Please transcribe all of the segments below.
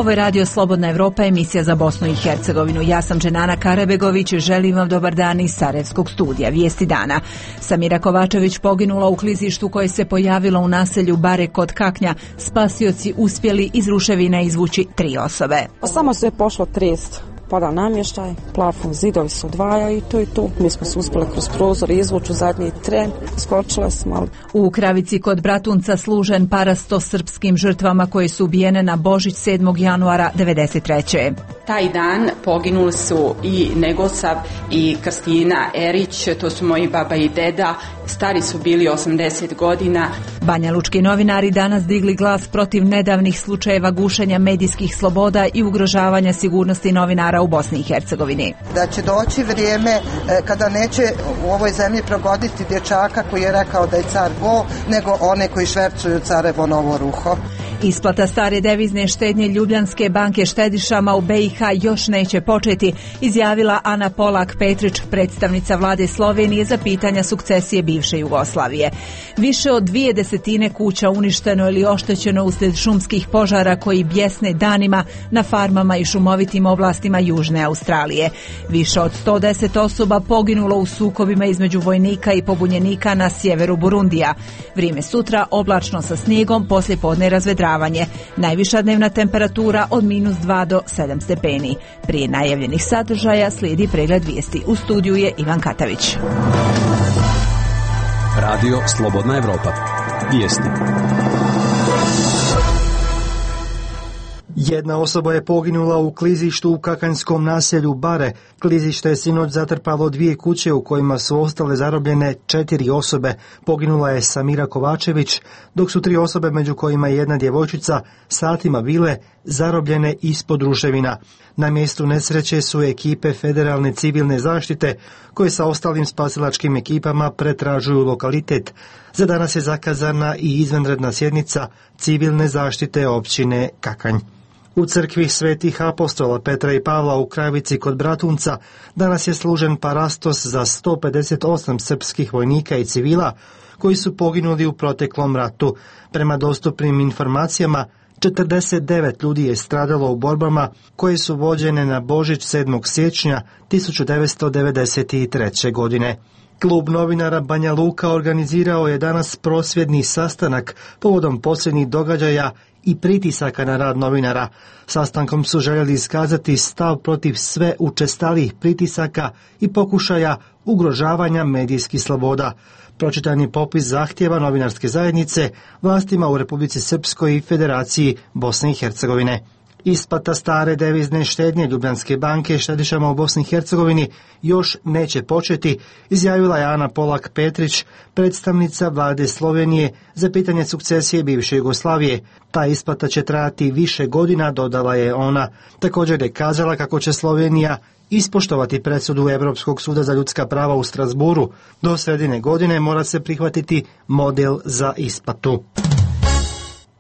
Ovo je Radio Slobodna Evropa, emisija za Bosnu i Hercegovinu. Ja sam Dženana Karabegović, želim vam dobar dan iz Sarajevskog studija. Vijesti dana. Samira Kovačević poginula u klizištu koje se pojavilo u naselju Bare kod Kaknja. Spasioci uspjeli iz ruševina izvući 3 osobe. Samo se je pošlo trest. Pada namještaj, plafon, zidovi se odvaja i to je to. Mi smo se uspjeli kroz prozor izvući u zadnji tren, skočile smo. U Kravici kod Bratunca služen parasto srpskim žrtvama koje su ubijene na Božić 7. januara 1993. Taj dan poginuli su i Negosav i Kristina Erić, to su moji baba i deda, stari su bili 80 godina. Banjalučki novinari danas digli glas protiv nedavnih slučajeva gušenja medijskih sloboda i ugrožavanja sigurnosti novinara u Bosni i Hercegovini. Da će doći vrijeme kada neće u ovoj zemlji progoditi dječaka koji je rekao da je car go, nego one koji švercuju carevo novo ruho. Isplata stare devizne štednje Ljubljanske banke štedišama u BiH još neće početi, izjavila Ana Polak-Petrić, predstavnica vlade Slovenije za pitanja sukcesije bivše Jugoslavije. Više od 20 kuća uništeno ili oštećeno uslijed šumskih požara koji bjesne danima na farmama i šumovitim oblastima Južne Australije. Više od 110 osoba poginulo u sukobima između vojnika i pobunjenika na sjeveru Burundija. Vrijeme sutra oblačno sa snijegom, poslijepodne razvedravanje. Najviša dnevna temperatura od -2 do 7 stepeni. Prije najavljenih sadržaja slijedi pregled vijesti. U studiju je Ivan Katavić. Radio Slobodna Evropa. Vijesti. Jedna osoba je poginula u klizištu u kakanjskom naselju Bare. Klizište je sinoć zatrpalo 2 kuće u kojima su ostale zarobljene 4 osobe. Poginula je Samira Kovačević, dok su 3 osobe, među kojima je jedna djevojčica, satima bile zarobljene ispod ruševina. Na mjestu nesreće su ekipe Federalne civilne zaštite koje sa ostalim spasilačkim ekipama pretražuju lokalitet. Za danas je zakazana i izvanredna sjednica civilne zaštite općine Kakanj. U crkvi Svetih apostola Petra i Pavla u Kravici kod Bratunca danas je služen parastos za 158 srpskih vojnika i civila koji su poginuli u proteklom ratu. Prema dostupnim informacijama, 49 ljudi je stradalo u borbama koje su vođene na Božić 7. siječnja 1993. godine. Klub novinara Banja Luka organizirao je danas prosvjedni sastanak povodom posljednjih događaja i pritisaka na rad novinara. Sastankom su željeli iskazati stav protiv sve učestalijih pritisaka i pokušaja ugrožavanja medijskih sloboda. Pročitan je popis zahtjeva novinarske zajednice vlastima u Republici Srpskoj i Federaciji Bosne i Hercegovine. Isplata stare devizne štednje Ljubljanske banke štedišama u Bosni i Hercegovini još neće početi, izjavila je Ana Polak-Petrić, predstavnica vlade Slovenije za pitanje sukcesije bivše Jugoslavije. Ta isplata će trajati više godina, dodala je ona. Također je kazala kako će Slovenija ispoštovati presudu Europskog suda za ljudska prava u Strasburu. Do sredine godine mora se prihvatiti model za isplatu.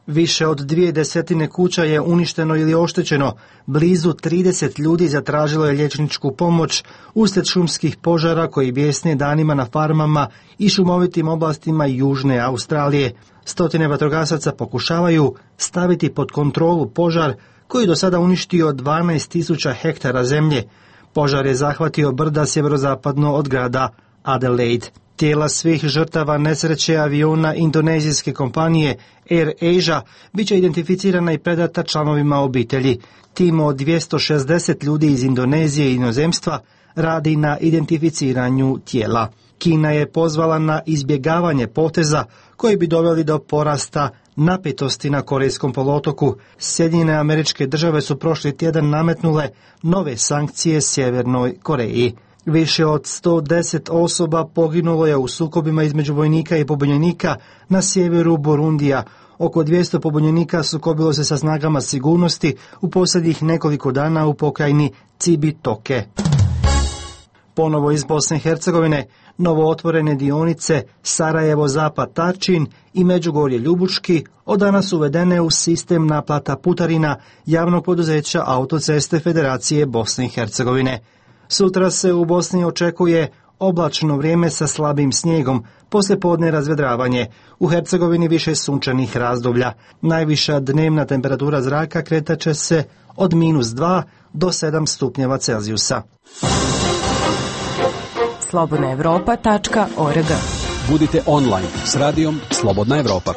Više od 20 kuća je uništeno ili oštećeno. Blizu 30 ljudi zatražilo je liječničku pomoć uslijed šumskih požara koji bjesne danima na farmama i šumovitim oblastima Južne Australije. Stotine vatrogasaca pokušavaju staviti pod kontrolu požar koji do sada uništio 12.000 hektara zemlje. Požar je zahvatio brda sjeverozapadno od grada Adelaide. Tijela svih žrtava nesreće aviona indonezijske kompanije Air Asia bit će identificirana i predata članovima obitelji. Tim od 260 ljudi iz Indonezije i inozemstva radi na identificiranju tijela. Kina je pozvala na izbjegavanje poteza koji bi doveli do porasta napetosti na Korejskom poluotoku. Sjedinjene Američke Države su prošli tjedan nametnule nove sankcije Sjevernoj Koreji. Više od 110 osoba poginulo je u sukobima između vojnika i pobunjenika na sjeveru Burundija. Oko 200 pobunjenika sukobilo se sa snagama sigurnosti u posljednjih nekoliko dana u pokrajini Cibitoke. Ponovo iz Bosne i Hercegovine, novo otvorene dionice Sarajevo-Zapad-Tarčin i Međugorje-Ljubuški od danas uvedene u sistem naplata putarina javnog poduzeća Autoceste Federacije Bosne i Hercegovine. Sutra se u Bosni očekuje oblačno vrijeme sa slabim snijegom, poslijepodne razvedravanje. U Hercegovini više sunčanih razdoblja. Najviša dnevna temperatura zraka kretaće se od -2 do 7 stupnjeva Celzijusa. slobodnaevropa.org. Budite online s radijom Slobodna Evropa.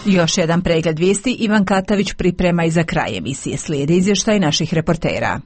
Još jedan pregled vijesti Ivan Katavić priprema i za kraj emisije. Slijedi izvještaj naših reportera.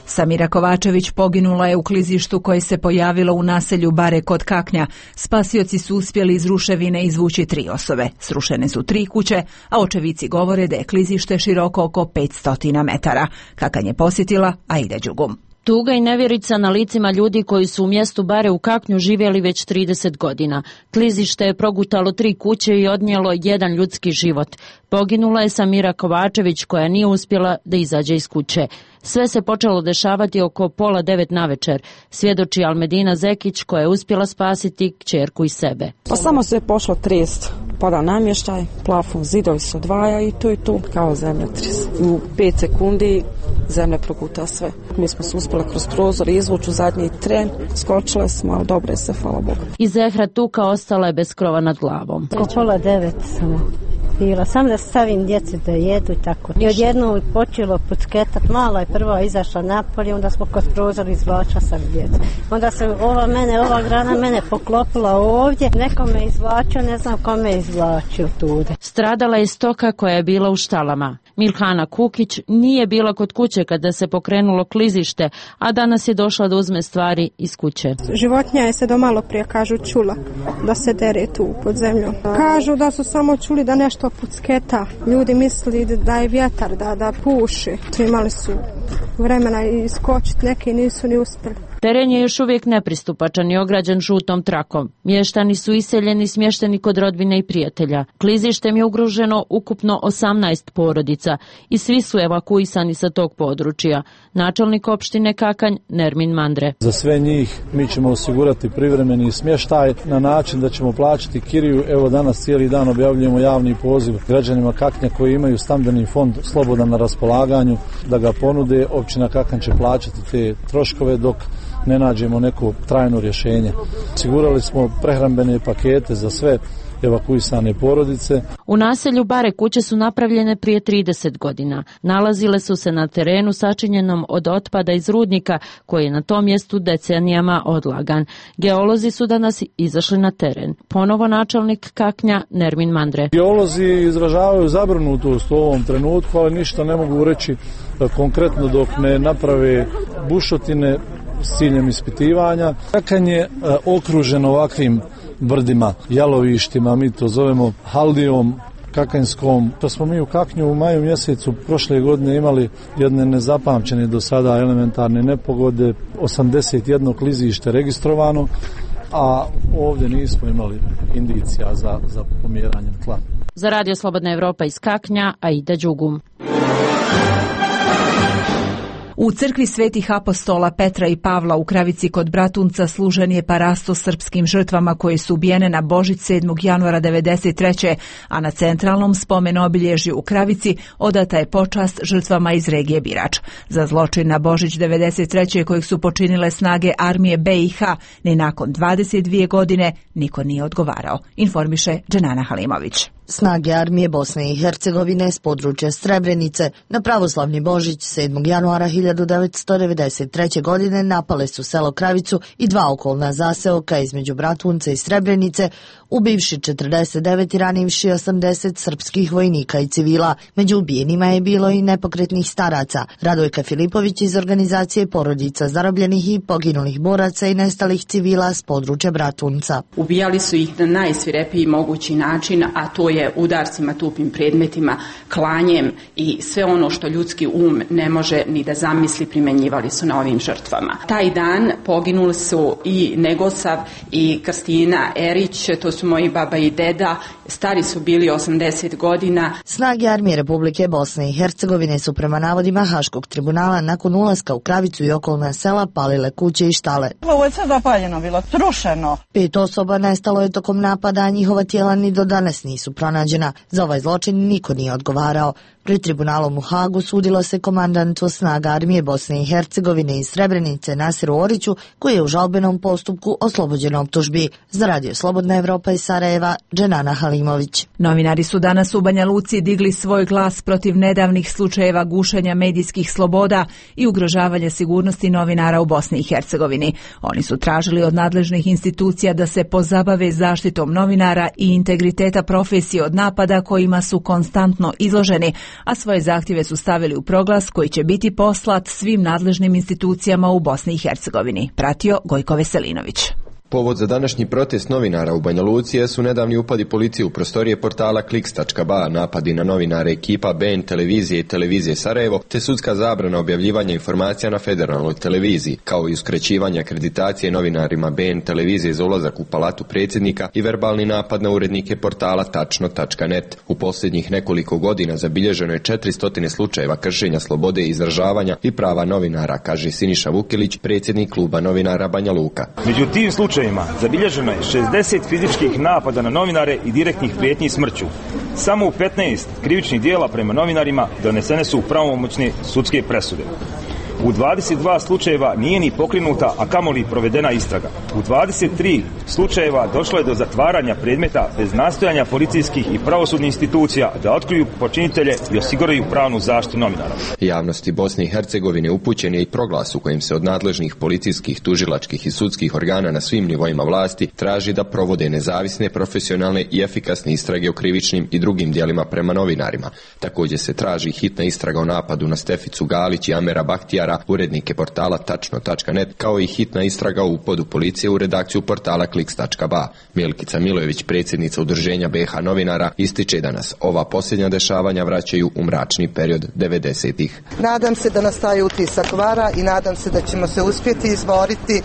Samira Kovačević poginula je u klizištu koje se pojavilo u naselju Bare kod Kaknja. Spasioci su uspjeli iz ruševine izvući 3 osobe. Srušene su 3 kuće, a očevici govore da je klizište široko oko 500 metara. Kakanj je posjetila Aida Đugum. Tuga i nevjerica na licima ljudi koji su u mjestu Bare u Kaknju živjeli već 30 godina. Klizište je progutalo 3 kuće i odnijelo 1 ljudski život. Poginula je Samira Kovačević koja nije uspjela da izađe iz kuće. Sve se počelo dešavati oko 8:30 navečer, svjedoči Almedina Zekić koja je uspjela spasiti kćerku i sebe. Pa samo se je pošlo trest, pada namještaj, plafon, zidovi se odvaja i to kao zemljotres. U 5 sekundi zemlja proguta sve. Mi smo se uspjeli kroz prozor izvući u zadnji tren, skočile smo, ali dobro je se, hvala Bogu. I Zehra Tuka ostala je bez krova nad glavom. Oko 8:30 samo bila, sam da stavim djeci da jedu i tako. I odjednom je počelo pucketat, mala je prva izašla napolje, onda smo kroz prozor izvlačila sam djecu. Onda se ova grana mene poklopila ovdje, neko me izvlačio, ne znam kome je izvlačio tude. Stradala je stoka koja je bila u štalama. Milhana Kukić nije bila kod kuće kada se pokrenulo klizište, a danas je došla da uzme stvari iz kuće. Životinja je se do malo prije, kažu, čula da se dere tu pod zemljom. Kažu da su samo čuli da nešto pucketa. Ljudi misli da je vjetar, da puši. Imali su vremena iskočiti, neki nisu ni uspjeli. Teren je još uvijek nepristupačan i ograđen žutom trakom. Mještani su iseljeni, smješteni kod rodbine i prijatelja. Klizištem je ugroženo ukupno 18 porodica i svi su evakuisani sa tog područja. Načelnik opštine Kakanj Nermin Mandre. Za sve njih mi ćemo osigurati privremeni smještaj na način da ćemo plaćati kiriju. Evo danas cijeli dan objavljujemo javni poziv građanima Kaknja koji imaju stambeni fond slobodan na raspolaganju da ga ponude. Općina Kakanj će plaćati te troškove dok ne nađemo neko trajno rješenje. Osigurali smo prehrambene pakete za sve evakuisane porodice. U naselju Bare kuće su napravljene prije 30 godina. Nalazile su se na terenu sačinjenom od otpada iz rudnika koji je na tom mjestu decenijama odlagan. Geolozi su danas izašli na teren. Ponovo načelnik Kaknja Nermin Mandre. Geolozi izražavaju zabrinutost u ovom trenutku, ali ništa ne mogu reći konkretno dok ne naprave bušotine s ciljem ispitivanja. Kakanj je okružen ovakvim brdima, jalovištima, mi to zovemo haldijom kakanjskom. To smo mi u Kaknju u maju mjesecu prošle godine imali jedne nezapamćene do sada elementarne nepogode, 81 klizište registrovano, a ovdje nismo imali indicija za pomjeranjem tla. Za Radio Slobodna Evropa iz Kaknja, Aida Đugum. U crkvi svetih apostola Petra i Pavla u Kravici kod Bratunca služen je parasto srpskim žrtvama koje su ubijene na Božić 7. januara 1993. a na centralnom spomen obilježju u Kravici odata je počast žrtvama iz regije Birač. Za zločin na Božić 1993. kojeg su počinile snage armije BiH, ni nakon 22 godine niko nije odgovarao, informiše Dženana Halimović. Snage armije Bosne i Hercegovine s područja Srebrenice na pravoslavni Božić 7. januara 1993. godine napale su selo Kravicu i 2 okolna zaseoka između Bratunca i Srebrenice, ubivši 49 i ranivši 80 srpskih vojnika i civila. Među ubijenima je bilo i nepokretnih staraca. Radojka Filipović iz organizacije porodica zarobljenih i poginulih boraca i nestalih civila s područja Bratunca. Ubijali su ih na najsvirepiji mogući način, a to je udarcima, tupim predmetima, klanjem i sve ono što ljudski ne može ni da zamisli primjenjivali su na ovim žrtvama. Taj dan poginuli su i Negosav i Kristina Erić, to su su moji baba i deda, stari su bili 80 godina. Snage armije Republike Bosne i Hercegovine su prema navodima Haškog tribunala nakon ulaska u Kravicu i okolna sela palile kuće i štale. Ovo je sve zapaljeno bilo, srušeno. 5 osoba nestalo je tokom napada, a njihova tijela ni do danas nisu pronađena. Za ovaj zločin niko nije odgovarao. Pred tribunalom u Hagu sudilo se komandantu snaga armije Bosne i Hercegovine iz Srebrenice Nasiru Oriću, koji je u žalbenom postupku oslobođen optužbi. Za Radio Slobodna Evropa iz Sarajeva, Dženana Halimović. Novinari su danas u Banja Luci digli svoj glas protiv nedavnih slučajeva gušenja medijskih sloboda i ugrožavanja sigurnosti novinara u Bosni i Hercegovini. Oni su tražili od nadležnih institucija da se pozabave zaštitom novinara i integriteta profesije od napada kojima su konstantno izloženi, a svoje zahtjeve su stavili u proglas koji će biti poslat svim nadležnim institucijama u Bosni i Hercegovini. Pratio Gojko Veselinović. Povod za današnji protest novinara u Banja Luci su nedavni upadi policije u prostorije portala Kliks.ba, napadi na novinare ekipa BN televizije i televizije Sarajevo, te sudska zabrana objavljivanja informacija na federalnoj televiziji, kao i uskraćivanje akreditacije novinarima BN televizije za ulazak u palatu predsjednika i verbalni napad na urednike portala tačno.net. U posljednjih nekoliko godina zabilježeno je 400 slučajeva kršenja slobode izražavanja i prava novinara, kaže Siniša Vukilić, predsjednik kluba novinara Banja Luka. Među tim slučajevima zabilježeno je 60 fizičkih napada na novinare i direktnih prijetnji smrću. Samo u 15 krivičnih dijela prema novinarima donesene su pravomoćne sudske presude. U 22 slučajeva nije ni pokrenuta, a kamoli provedena istraga. U 23 slučajeva došlo je do zatvaranja predmeta bez nastojanja policijskih i pravosudnih institucija da otkriju počinitelje i osiguraju pravnu zaštitu novinara. Javnosti Bosne i Hercegovine upućen je i proglas u kojem se od nadležnih policijskih, tužilačkih i sudskih organa na svim nivoima vlasti traži da provode nezavisne, profesionalne i efikasne istrage o krivičnim i drugim djelima prema novinarima. Također se traži hitna istraga o napadu na Steficu Galić i Amera Bahtijara, urednike portala tačno.net, kao i hitna istraga o upadu policije u redakciju portala Kliks.ba. Milkica Milojević, predsjednica Udruženja BiH novinara, ističe da nas ova posljednja dešavanja vraćaju u mračni period 90-ih. Nadam se da nas taj utisak vara i nadam se da ćemo se uspjeti izboriti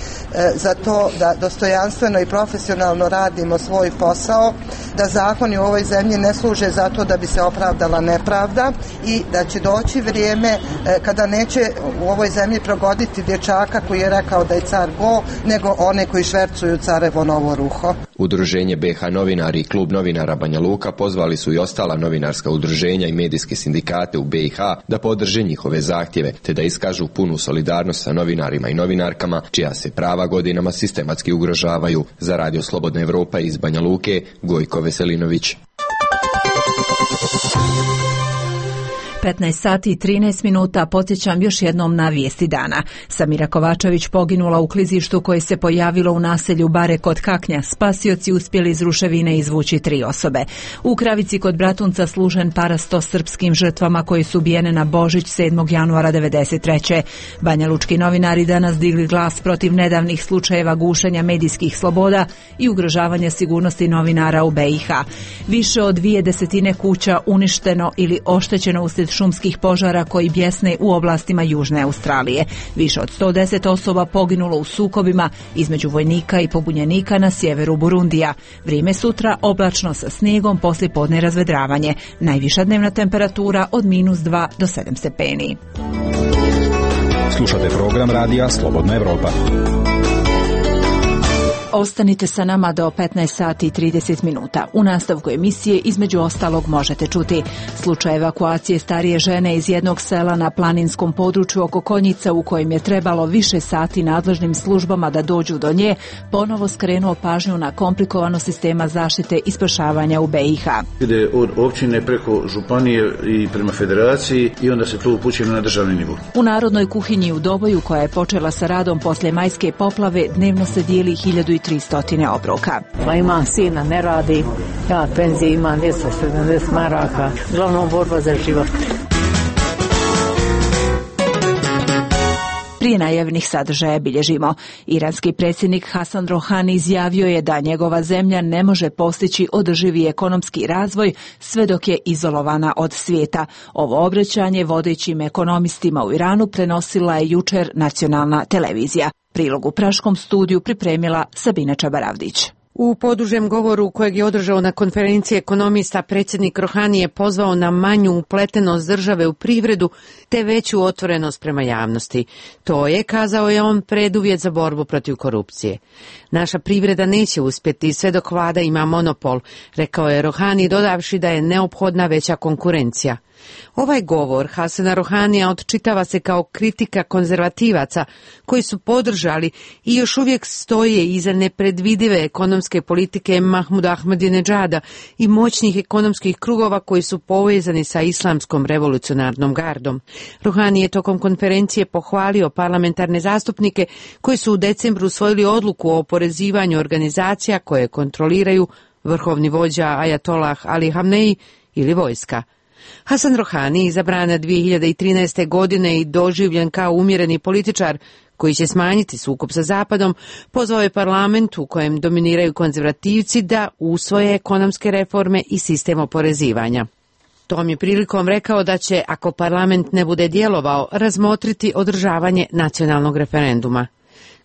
za to da dostojanstveno i profesionalno radimo svoj posao, da zakoni u ovoj zemlji ne služe za to da bi se opravdala nepravda i da će doći vrijeme kada neće u ovoj zemlji progoditi dječaka koji je rekao da je car go, nego one koji švercuju carevo novo ruho. Udruženje BiH novinari i klub novinara Banja Luka pozvali su i ostala novinarska udruženja i medijske sindikate u BiH da podrže njihove zahtjeve, te da iskažu punu solidarnost sa novinarima i novinarkama čija se prava godinama sistematski ugrožavaju. Za Radio Slobodna Evropa iz Banja Luke, Gojko Veselinović. 15 sati i 13 minuta, podsjećam još jednom na vijesti dana. Samira Kovačević poginula u klizištu koje se pojavilo u naselju Bare kod Kaknja. Spasioci uspjeli iz ruševine izvući 3 osobe. U Kravici kod Bratunca služen parasto srpskim žrtvama koje su ubijene na Božić 7. januara 1993. Banja Lučki novinari danas digli glas protiv nedavnih slučajeva gušenja medijskih sloboda i ugrožavanja sigurnosti novinara u BiH. Više od 20 kuća uništeno ili oštećeno uslijed šumskih požara koji bjesne u oblastima Južne Australije. Više od 110 osoba poginulo u sukobima između vojnika i pobunjenika na sjeveru Burundija. Vrijeme sutra oblačno sa snijegom, poslijepodne razvedravanje. Najviša dnevna temperatura od -2 do 7 stepeni. Slušate program radija Slobodna Evropa. Ostanite sa nama do 15 sati i 30 minuta. U nastavku emisije između ostalog možete čuti slučaj evakuacije starije žene iz jednog sela na planinskom području oko Konjica u kojem je trebalo više sati nadležnim službama da dođu do nje, ponovo skrenuo pažnju na komplikovanost sistema zaštite i spašavanja u BiH. Ide od općine preko županije i prema federaciji i onda se to upućuje na državni nivo. U Narodnoj kuhinji u Doboju, koja je počela sa radom poslije majske poplave, dnevno se dijeli 1300 obroka. Pa imam sina, ne radi, ja penzije imam 270 maraka, glavnom borba za život. Prije najavljenih sadržaja bilježimo. Iranski predsjednik Hasan Rohani izjavio je da njegova zemlja ne može postići održivi ekonomski razvoj sve dok je izolovana od svijeta. Ovo obraćanje vodećim ekonomistima u Iranu prenosila je jučer nacionalna televizija. Prilog u praškom studiju pripremila Sabina Čabaravdić. U podužem govoru kojeg je održao na konferenciji ekonomista, predsjednik Rohani je pozvao na manju upletenost države u privredu te veću otvorenost prema javnosti. To je, kazao je on, preduvjet za borbu protiv korupcije. Naša privreda neće uspjeti sve dok vlada ima monopol, rekao je Rohani, dodavši da je neophodna veća konkurencija. Ovaj govor Hasana Rohanija odčitava se kao kritika konzervativaca koji su podržali i još uvijek stoje iza nepredvidive ekonomske politike Mahmuda Ahmadinedžada i moćnih ekonomskih krugova koji su povezani sa islamskom revolucionarnom gardom. Rohani je tokom konferencije pohvalio parlamentarne zastupnike koji su u decembru usvojili odluku o oporezivanju organizacija koje kontroliraju vrhovni vođa Ajatollah Ali Hamneji ili vojska. Hasan Rohani, izabran 2013. godine i doživljen kao umjereni političar koji će smanjiti sukob sa Zapadom, pozvao je parlament u kojem dominiraju konzervativci da usvoje ekonomske reforme i sistem oporezivanja. Tom je prilikom rekao da će, ako parlament ne bude djelovao, razmotriti održavanje nacionalnog referenduma.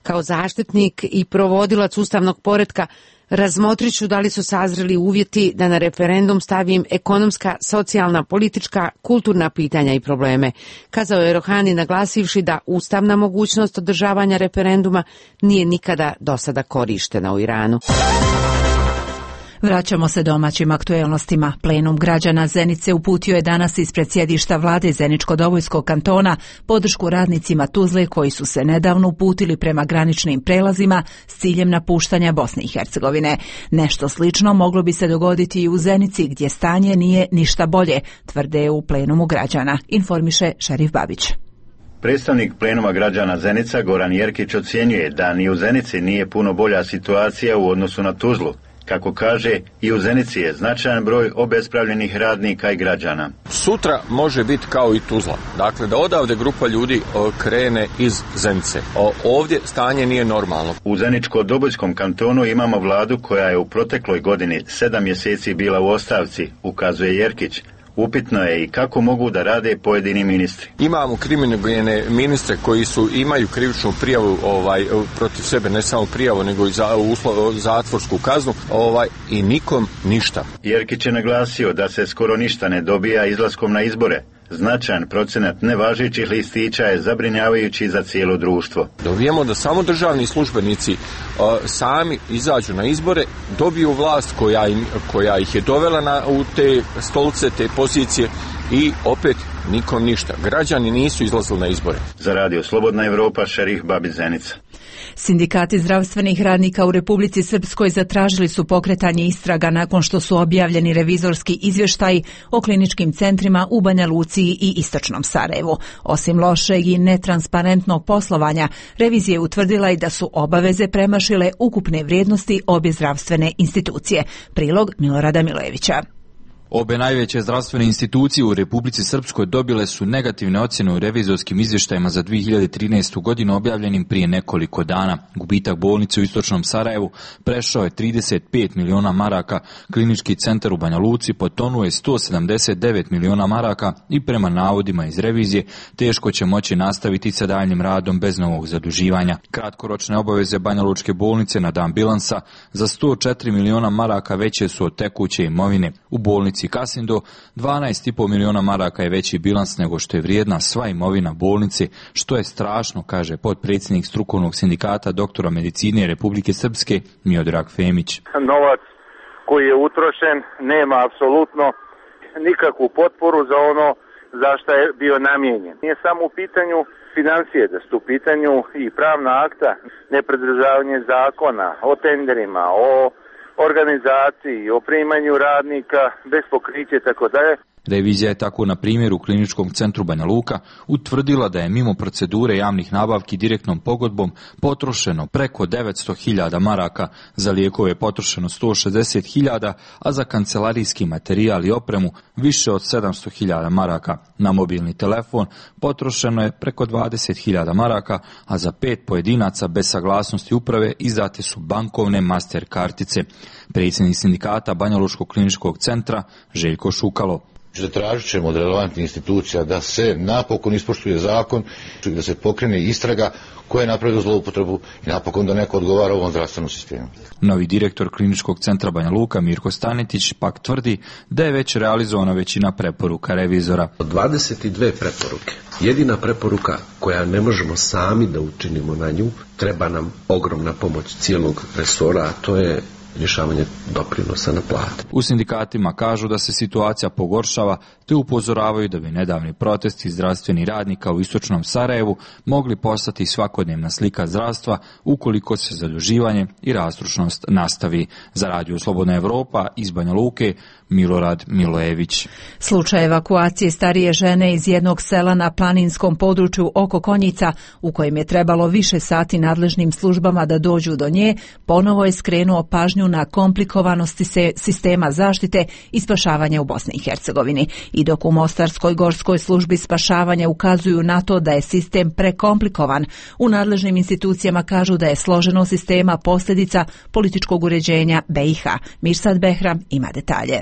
Kao zaštitnik i provodilac ustavnog poretka, razmotrit ću da li su sazreli uvjeti da na referendum stavim ekonomska, socijalna, politička, kulturna pitanja i probleme, kazao je Rohani, naglasivši da ustavna mogućnost održavanja referenduma nije nikada do sada korištena u Iranu. Vraćamo se domaćim aktuelnostima. Plenum građana Zenice uputio je danas ispred sjedišta vlade Zeničko-Dobojskog kantona podršku radnicima Tuzle koji su se nedavno uputili prema graničnim prelazima s ciljem napuštanja Bosne i Hercegovine. Nešto slično moglo bi se dogoditi i u Zenici gdje stanje nije ništa bolje, tvrde u plenumu građana, informiše Šerif Babić. Predstavnik plenuma građana Zenica Goran Jerkić ocjenjuje da ni u Zenici nije puno bolja situacija u odnosu na Tuzlu. Kako kaže, i u Zenici je značajan broj obespravljenih radnika i građana. Sutra može biti kao i Tuzla. Dakle, da odavde grupa ljudi krene iz Zenice. Ovdje stanje nije normalno. U Zeničko-Dobojskom kantonu imamo vladu koja je u protekloj godini 7 mjeseci bila u ostavci, ukazuje Jerkić. Upitno je i kako mogu da rade pojedini ministri. Imamo kriminogene ministre koji imaju krivičnu prijavu protiv sebe, ne samo prijavu, nego i zatvorsku kaznu i nikom ništa. Jerkić je naglasio da se skoro ništa ne dobija izlaskom na izbore. Značajan procenat nevažećih listića je zabrinjavajući za cijelo društvo. Dobijemo da samo državni službenici sami izađu na izbore, dobiju vlast koja ih je dovela u te stolice, te pozicije i opet nikom ništa. Građani nisu izlazili na izbore. Za Radio Slobodna Evropa, Šerif Babić, Zenica. Sindikati zdravstvenih radnika u Republici Srpskoj zatražili su pokretanje istraga nakon što su objavljeni revizorski izvještaji o kliničkim centrima u Banja Luci i Istočnom Sarajevu. Osim lošeg i netransparentnog poslovanja, revizija je utvrdila i da su obaveze premašile ukupne vrijednosti obje zdravstvene institucije. Prilog Milorada Milevića. Obe najveće zdravstvene institucije u Republici Srpskoj dobile su negativne ocjene u revizorskim izvještajima za 2013. godinu objavljenim prije nekoliko dana. Gubitak bolnice u Istočnom Sarajevu prešao je 35 miliona maraka, klinički centar u Banja Luci potonuo je 179 miliona maraka i prema navodima iz revizije teško će moći nastaviti sa daljnjim radom bez novog zaduživanja. Kratkoročne obaveze Banja Lučke bolnice na dan bilansa za 104 miliona maraka veće su od tekuće imovine. U bolnici Kasindo 12,5 miliona maraka je veći bilans nego što je vrijedna sva imovina bolnice, što je strašno, kaže potpredsjednik strukovnog sindikata doktora medicine Republike Srpske Miodrag Femić. Novac koji je utrošen nema apsolutno nikakvu potporu za ono za što je bio namijenjen. Nije samo u pitanju financije, da su u pitanju i pravna akta, nepridržavanje zakona, o tenderima, o organizaciji, o primanju radnika, bez pokrića i tako dalje. Revizija je tako na primjeru u kliničkom centru Banja Luka utvrdila da je mimo procedure javnih nabavki direktnom pogodbom potrošeno preko 900.000 maraka, za lijekove potrošeno 160.000, a za kancelarijski materijal i opremu više od 700.000 maraka. Na mobilni telefon potrošeno je preko 20.000 maraka, a za 5 pojedinaca bez saglasnosti uprave izdate su bankovne master kartice. Predsjednik sindikata Banja Lučkog kliničkog centra Željko Šukalo. Tražit ćemo od relevantnih institucija da se napokon ispoštuje zakon i da se pokrene istraga ko je napravio zloupotrebu i napokon da neko odgovara ovom zdravstvenom sistemu. Novi direktor Kliničkog centra Banja Luka Mirko Stanetić pak tvrdi da je već realizovana većina preporuka revizora. 22 preporuke. Jedina preporuka koja ne možemo sami da učinimo na nju, treba nam ogromna pomoć cijelog resora, a to je rješavanje doprinosa na plate. U sindikatima kažu da se situacija pogoršava, te upozoravaju da bi nedavni protesti zdravstvenih radnika u istočnom Sarajevu mogli postati svakodnevna slika zdravstva ukoliko se zaduživanje i rastrošnost nastavi. Za Radio Slobodna Evropa iz Banja Luke, Milorad Milojević. Slučaj evakuacije starije žene iz jednog sela na planinskom području oko Konjica, u kojem je trebalo više sati nadležnim službama da dođu do nje, ponovo je skrenuo pažnju na komplikovanosti sistema zaštite i spašavanja u Bosni i Hercegovini. I dok u Mostarskoj gorskoj službi spašavanja ukazuju na to da je sistem prekomplikovan, u nadležnim institucijama kažu da je složenost sistema posljedica političkog uređenja BiH. Mirsad Behram ima detalje.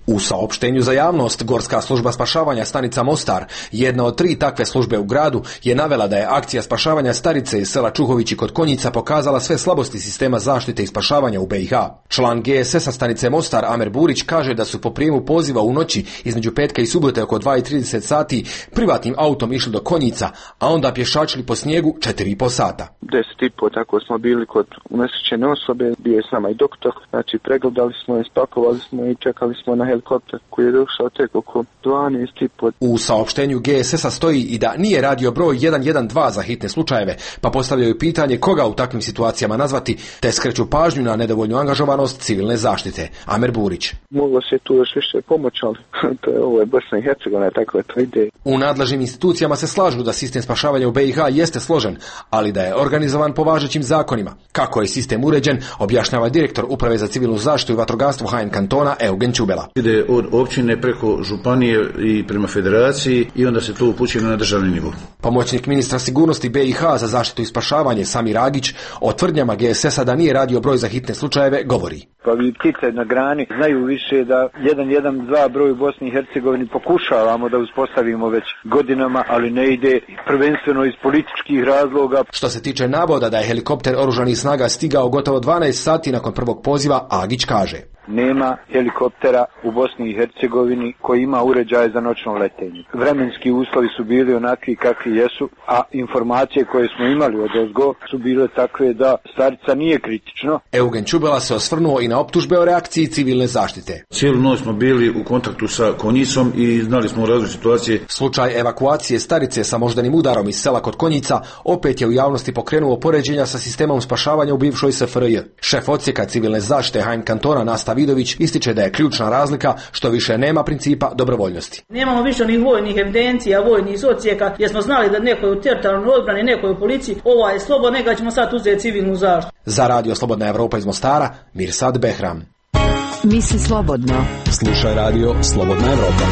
U saopštenju za javnost, Gorska služba spašavanja stanica Mostar, jedna od 3 takve službe u gradu, je navela da je akcija spašavanja starice iz sela Čuhovići kod Konjica pokazala sve slabosti sistema zaštite i spašavanja u BiH. Član GSS-a stanice Mostar, Amer Burić, kaže da su po prijemu poziva u noći između petka i subote oko 2:30 sati privatnim autom išli do Konjica, a onda pješačili po snijegu 4,5 sata. 10,5 tako smo bili kod unesrećene osobe, bio je sama i doktor, znači pregledali smo je, spakovali smo i čekali smo na helikopter koji je došao tek oko 12,5. U saopštenju GSS-a stoji i da nije radio broj 112 za hitne slučajeve, pa postavljaju pitanje koga u takvim situacijama nazvati, te skreću pažnju na nedovoljnu angažovanost civilne zaštite. Amer Burić. Moglo se tu još više pomoći, ali ovo je Bosna i Hercegovina, tako je to ide. U nadležnim institucijama se slažu da sistem spašavanja u BiH jeste složen, ali da je organizovan po važećim zakonima. Kako je sistem uređen, objašnjava direktor Uprave za civilnu zaštitu i vatrogastvo HN kantona Eugen Čubela. Ide od općine preko županije i prema federaciji i onda se to upućuje na državni nivo. Pomoćnik ministra sigurnosti BiH za zaštitu i spašavanje Samir Agić o tvrdnjama GSS-a da nije radio broj za hitne slučajeve govori. Pa vi ptice na grani znaju više da 112 broj u Bosni i Hercegovini pokušavamo da uspostavimo već godinama, ali ne ide prvenstveno iz političkih razloga. Što se tiče navoda da je helikopter oružanih snaga stigao gotovo 12 sati nakon prvog poziva, Agić kaže. Nema helikoptera u Bosni i Hercegovini koji ima uređaje za noćno letenje. Vremenski uslovi su bili onakvi kakvi jesu, a informacije koje smo imali od ozgo su bile takve da starica nije kritično. Eugen Čubela se osvrnuo i na optužbe o reakciji civilne zaštite. Cijelu noć smo bili u kontaktu sa Konjicom i znali smo različite situacije. Slučaj evakuacije starice sa moždanim udarom iz sela kod Konjica opet je u javnosti pokrenuo poređenja sa sistemom spašavanja u bivšoj SFRJ. Šef odsjeka civilne zaštite HN kantona Nasta Vidović ističe da je ključna razlika što više nema principa dobrovoljnosti. Nemamo više ni vojnih evidencija, vojnih odsjeka, jer smo znali da neko je u teritorijalnoj odbrani, neko je u policiji, ova je slobodna, neka ćemo sad uzeti civilnu zaštitu. Za Radio Slobodna Evropa iz Mostara, Mirsad Behram. Misli slobodno. Slušaj Radio Slobodna Evropa.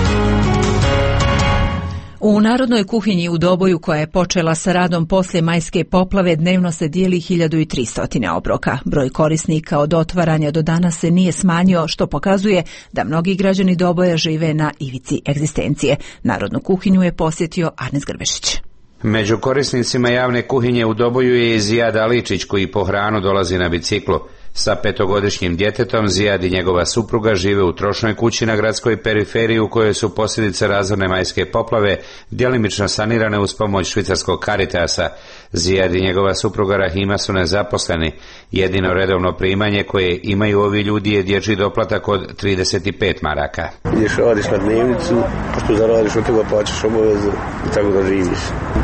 U Narodnoj kuhinji u Doboju, koja je počela sa radom poslije majske poplave, dnevno se dijeli 1300 obroka. Broj korisnika od otvaranja do danas se nije smanjio, što pokazuje da mnogi građani Doboja žive na ivici egzistencije. Narodnu kuhinju je posjetio Arnes Grbešić. Među korisnicima javne kuhinje u Doboju je i Zijad Aličić, koji po hranu dolazi na biciklu. Sa 5-godišnjim djetetom Zijad i njegova supruga žive u trošnoj kući na gradskoj periferiji u kojoj su posljedice razorne majske poplave djelimično sanirane uz pomoć švicarskog Caritasa. Zijad i njegova supruga Rahima su nezaposleni. Jedino redovno primanje koje imaju ovi ljudi je dječji doplatak od 35 maraka. Ideš radiš na dnevnicu, što zaradiš od toga plaćaš obaveze i tako da živiš.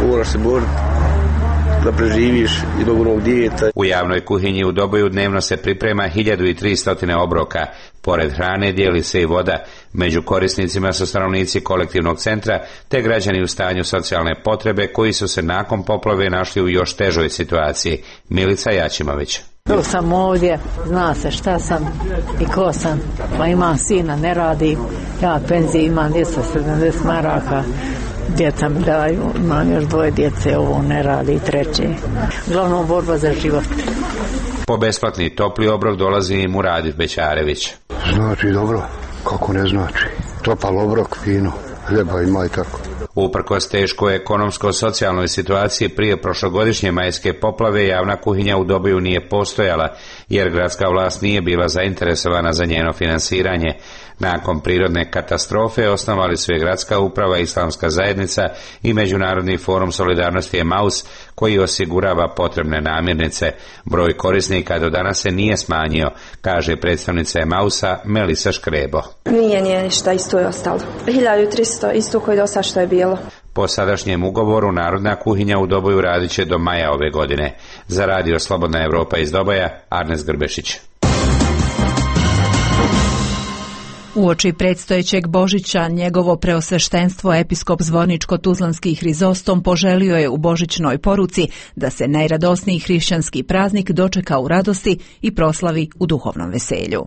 Moraš se boriti da preživiš i zbog onog dijeta. U javnoj kuhinji u Doboju dnevno se priprema 1300 obroka. Pored hrane dijeli se i voda. Među korisnicima su stanovnici kolektivnog centra te građani u stanju socijalne potrebe koji su se nakon poplave našli u još težoj situaciji. Milica Jačimović. Tu sam ovdje, zna se šta sam i ko sam. Pa imam sina, ne radi. Ja penziju imam 270 maraka. Djeca mi daju, imam još 2 djece, ovo ne radi, 3. Uglavnom borba za život. Po besplatni topli obrok dolazi i Muradif Bećarević. Znači dobro, kako ne znači. topal obrok, fino, hljeba ima i tako. Uprkos teškoj ekonomsko-socijalnoj situaciji prije prošlogodišnje majske poplave, javna kuhinja u Doboju nije postojala, jer gradska vlast nije bila zainteresovana za njeno finansiranje. Nakon prirodne katastrofe osnovali su je gradska uprava, islamska zajednica i Međunarodni forum solidarnosti Emaus, koji osigurava potrebne namirnice. Broj korisnika do danas se nije smanjio, kaže predstavnica Emausa Melisa Škrebo. Nije ništa, isto je ostalo. 1300, isto koji do sad što je bilo. Po sadašnjem ugovoru Narodna kuhinja u Doboju radit će do maja ove godine. Za radio Slobodna Evropa iz Doboja, Arnes Grbešić. Uoči predstojećeg Božića, njegovo preosveštenstvo episkop Zvorničko-Tuzlanski Hrizostom poželio je u božićnoj poruci da se najradosniji hrišćanski praznik dočeka u radosti i proslavi u duhovnom veselju.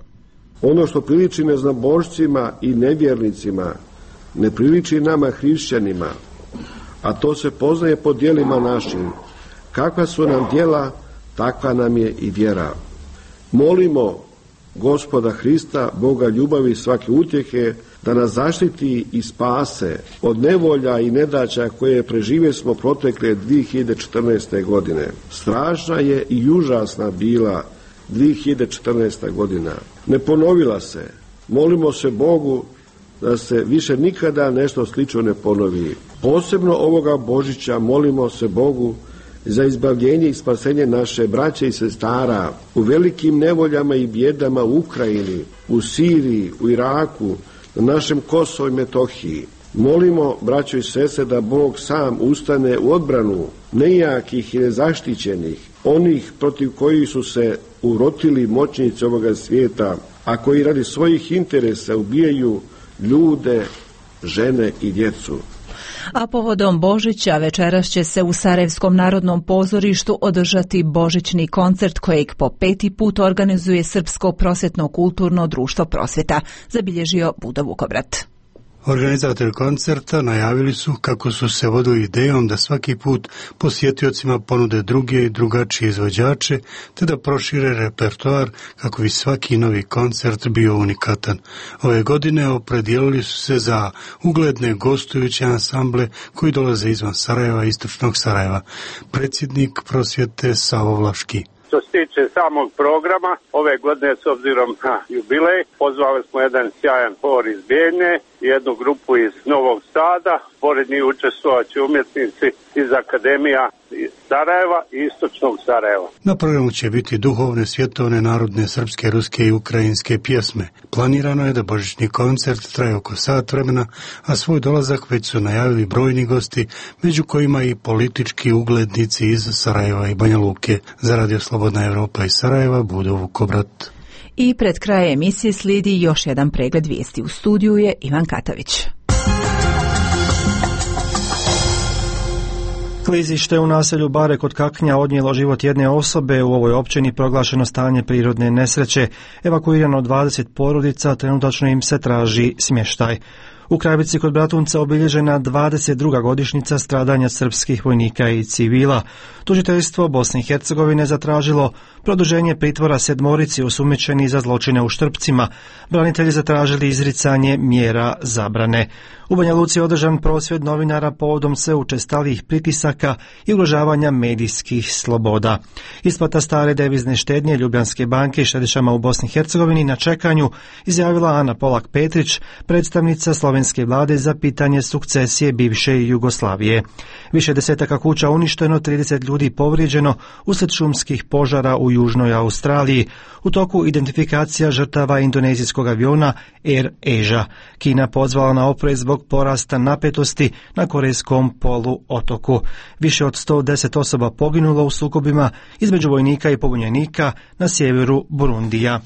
Ono što priliči neznabožcima i nevjernicima, ne priliči nama hrišćanima, a to se poznaje po djelima našim. Kakva su nam djela, takva nam je i vjera. Molimo Gospoda Hrista, Boga ljubavi i svake utjehe, da nas zaštiti i spase od nevolja i nedaća koje preživjeli smo protekle 2014. godine. Strašna je i užasna bila 2014. godina. Ne ponovila se. Molimo se Bogu da se više nikada nešto slično ne ponovi. Posebno ovoga Božića molimo se Bogu za izbavljenje i spasenje naše braće i sestara u velikim nevoljama i bjedama u Ukrajini, u Siriji, u Iraku, na našem Kosovu i Metohiji. Molimo, braćo i sestre, da Bog sam ustane u odbranu nejakih i nezaštićenih, onih protiv kojih su se urotili moćnici ovoga svijeta, a koji radi svojih interesa ubijaju ljude, žene i djecu. A povodom Božića večeras će se u Sarajevskom narodnom pozorištu održati božićni koncert kojeg po 5. put organizuje Srpsko prosvjetno-kulturno društvo Prosvjeta, zabilježio Budo Vukobrat. Organizatori koncerta najavili su kako su se vodili idejom da svaki put posjetiocima ponude druge i drugačije izvođače, te da prošire repertoar kako bi svaki novi koncert bio unikatan. Ove godine opredijelili su se za ugledne gostujuće ansamble koji dolaze izvan Sarajeva i istočnog Sarajeva. Predsjednik Prosvjete Savo Vlaški. Što se tiče samog programa, ove godine s obzirom na jubilej, pozvali smo jedan sjajan hor iz Bijeljne, jednu grupu iz Novog Sada, pored njih učestvovat će umjetnici iz Akademija iz Sarajeva i istočnog Sarajeva. Na programu će biti duhovne, svjetovne, narodne, srpske, ruske i ukrajinske pjesme. Planirano je da božićni koncert traje oko sat vremena, a svoj dolazak već su najavili brojni gosti, među kojima i politički uglednici iz Sarajeva i Banja Luke. Za radio Slobodna Evropa iz Sarajeva, Budo Vukobrat. I pred kraj emisije slijedi još jedan pregled vijesti. U studiju je Ivan Katavić. Klizište u naselju Bare kod Kaknja odnijelo život jedne osobe. U ovoj općini proglašeno stanje prirodne nesreće. Evakuirano 20 porodica, trenutačno im se traži smještaj. U Kravici kod Bratunca obilježena 22. godišnjica stradanja srpskih vojnika i civila. Tužiteljstvo Bosne i Hercegovine zatražilo produženje pritvora 7 osumnjičeni za zločine u Štrpcima. Branitelji zatražili izricanje mjera zabrane. U Banja Luci je održan prosvjed novinara povodom sve učestalijih pritisaka i ugrožavanja medijskih sloboda. Isplata stare devizne štednje Ljubljanske banke i štedišama u Bosni i Hercegovini na čekanju, izjavila Ana Polak Petrić, predstavnica slovenske vlade za pitanje sukcesije bivše Jugoslavije. Više desetaka kuća uništeno, 30 ljudi povrijeđeno uslijed šumskih požara u Južnoj Australiji. U toku identifikacija žrtava indonezijskog aviona Air Asia. Kina pozvala na oprez zbog porasta napetosti na korejskom poluotoku. Više od 110 osoba poginulo u sukobima između vojnika i pobunjenika na sjeveru Burundija.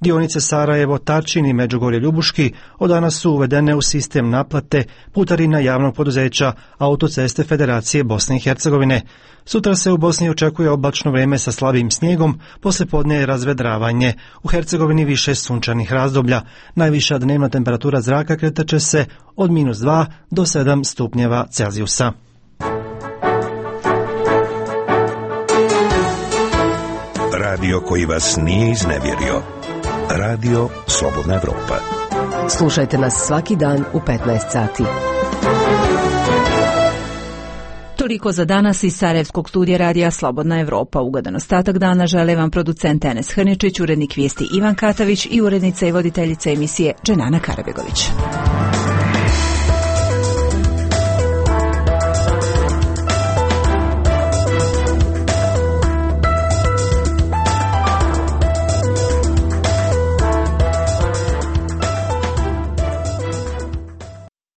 Dionice Sarajevo-Tarčin i Međugorje-Ljubuški od danas su uvedene u sistem naplate putarina javnog poduzeća Autoceste Federacije Bosne i Hercegovine. Sutra se u Bosni očekuje oblačno vrijeme sa slabim snijegom, poslijepodne je razvedravanje. U Hercegovini više sunčanih razdoblja. Najviša dnevna temperatura zraka kretaće se od -2 do 7 stupnjeva Celzijusa. Radio koji vas nije iznevjerio. Radio Slobodna Evropa. Slušajte nas svaki dan u 15 sati. Toliko za danas iz Sarajevskog studija radija Slobodna Evropa. Ugodan ostatak dana žele vam producent Enes Hrničić, urednik vijesti Ivan Katavić i urednica i voditeljica emisije Dženana Karabegović.